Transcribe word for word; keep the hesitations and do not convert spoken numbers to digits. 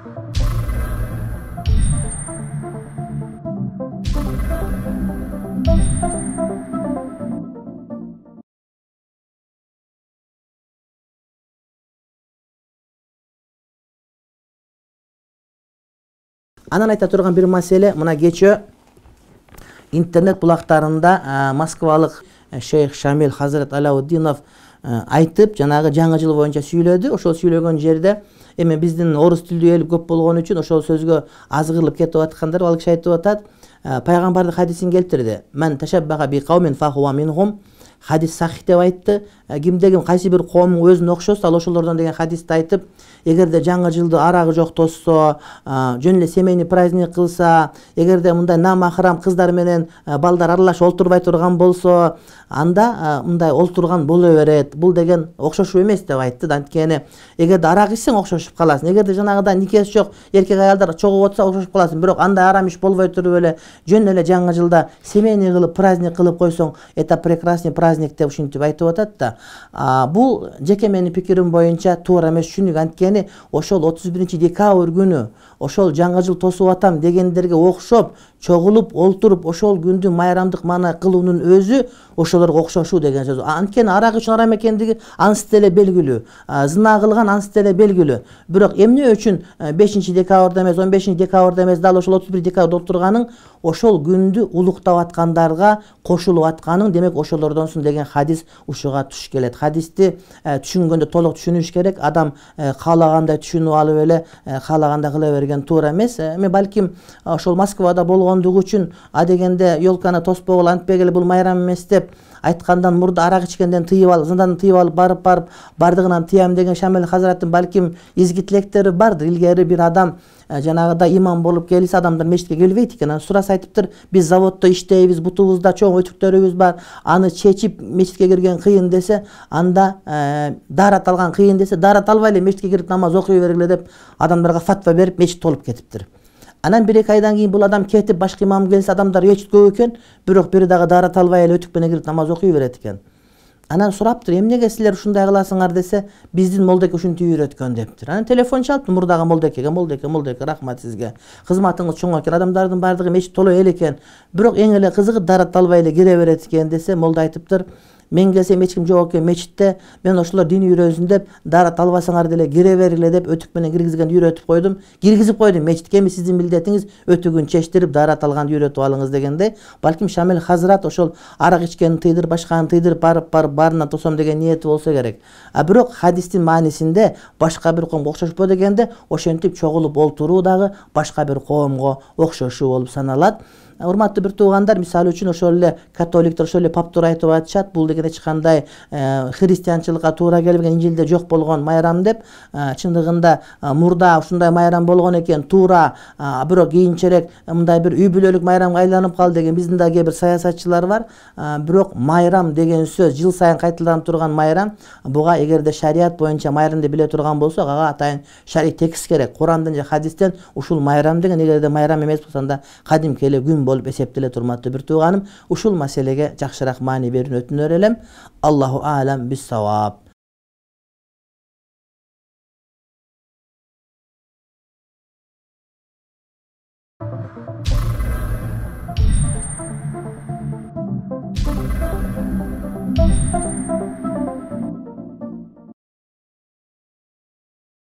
Анан айта турган бир маселе, мына кечөө интернет булактарында москвалык шейх Шамил Хазрат Алауддинов айтып, жанагы жаңы жыл боюнча сүйлөдү. Ошол сүйлөгөн жерде эми биздин орус тилдүү эл көп болгон үчүн ошол сөзгө азгырылып кетип аткандар, ал киши айтып атат, пайгамбардын хадисин келтирди. Мен ташаббаха би кавмин фахуа минхум. Хадис сахих деп айтты. Кимде ким кайсы бир коомдун өзүнө окшосо, ал ошолордон деген хадисти айтып, эгерде жаңы жылды арагы жок тосса, жөн эле семейный праздник кылса, эгерде мындай намахрам кыздар менен балдар аралашып олтурбай турган болсо, анда мындай олтурган боло берет. Бул деген окшошуу эмес деп айтты. Анткени эгерде арак ичсең окшошуп каласың. Эгерде жанагыдай никеси жок эркек аялдар чогуп отса окшошуп каласың. Бирок андай арам иш болбой туруп эле жөн эле жаңы жылда семейный кылып, праздник кылып койсоң, это прекрасный праздник деп ушинтип айтып атат да. Бул жеке менин пикирим боюнча туура эмес. Чүнүк анткени ошол отуз биринчи декабрь күнү ошол жаңы жыл тосуп атам дегендерге окшоп чогулуп олтуруп ошол күндү майрамдык маана кылуунун өзү ошолорго окшошуу деген сөз. Анткени арак үчүн арам экендиги ансы деле белгилүү, зына кылган ансы деле белгилүү. Бирок эмне үчүн бешинчи декабрда эмес, он бешинчи декабрда эмес, дал ошол отуз биринчи декабрда отурганың ошол күндү улуктап аткандарга кошулуп атканың, демек ошолордонсуң деген хадис ушуга туш келет. Хадисти түшүнгөндө толук түшүнүш керек. Адам каалагандай түшүнүп алып эле каалагандай кыла берген туура эмес. Эми балким ошол Москвада болгондугу үчүн а дегенде ёлканы тоспогула антпегиле бул майрам эмес деп айткандан мурда арак ичкенден тыйып алып, зындан тыйып алып барып барып бардыгынан тыям деген Шамил Хазраттын балким изги тилектери бардыр. Илгери бир адам жанагыдай имам болуп келсе, адамдар мечитке келбейт экен. Анан сураса айтыптыр, биз заводдо иштейбиз, бутубузда чоң өтүктөрүбүз бар, аны чечип мечитке кирген кыйын десе, анда даарат алган кыйын десе, даарат албай эле мечитке кирип намаз окуй бергиле деп адамдарга фатва берип мечит толуп кетиптир. Анан бир эки айдан кийин бул адам кетип, башка имам келсе, адамдар мечит көп экен, бирок бири дагы даарат албай эле өтүк менен кирип намаз окуй берет экен. Анан сураптыр, эмнеге силер ушундай кыласыңар десе, биздин молдеке ушинтип үйрөткөн дептир. Анан телефон чалыптыр мурдагы молдекеге, молдеке, молдеке, рахмат сизге. Кызматыңыз чоң экен, адамдардын бардыгы мечит толо эл экен. Бирок эң эле кызыгы даарат албай эле кире берет экен десе, молда айтыптыр, мен келсем эч ким жок экен мечитте, мен ошолор дин үйрөсүн деп, даарат албасаңар деле кире бергиле деп өтүк менен киргизгенди үйрөтүп койдум. Киргизип койдум мечитке, эми сиздин милдетиңиз өтүгүн чечтирип, даарат алганды үйрөтүп алыңыз дегенде, балким Шамил Хазрат ошол арак ичкенин тыйдырып, башканы тыйдырып барып барып баарынан тосом деген ниети болсо керек. А бирок хадистин маанисинде башка бир коомго окшошпо дегенде, ошентип чогулуп олтуруу дагы башка бир коомго окшошуу болуп саналат. Урматтуу бир туугандар, мисалы үчүн ошол эле католиктер, ошол эле паптар айтып атышат, бул деген эч кандай христианчылыкка туура келбеген, Инжилде жок болгон майрам деп. Чындыгында мурда ушундай майрам болгон экен, туура, бирок кийинчерээк мындай бир үй бүлөлүк майрамга айланып калды деген биздин да кээ бир саясатчылар бар. Бирок майрам деген сөз, жыл сайын кайталанып турган майрам, буга эгерде шарият боюнча майрамды биле турган болсок, ага атайын шарий текст керек. Курандан же хадистен ушул майрам деген эгерде майрам эмес болсо, анда кадимки эле күн болуп эсептеле турматтуу бир тууганым. Ушул маселеге жакшыраак маани берүүнү өтүнөр элем. Аллаху а'лам бис-саваб.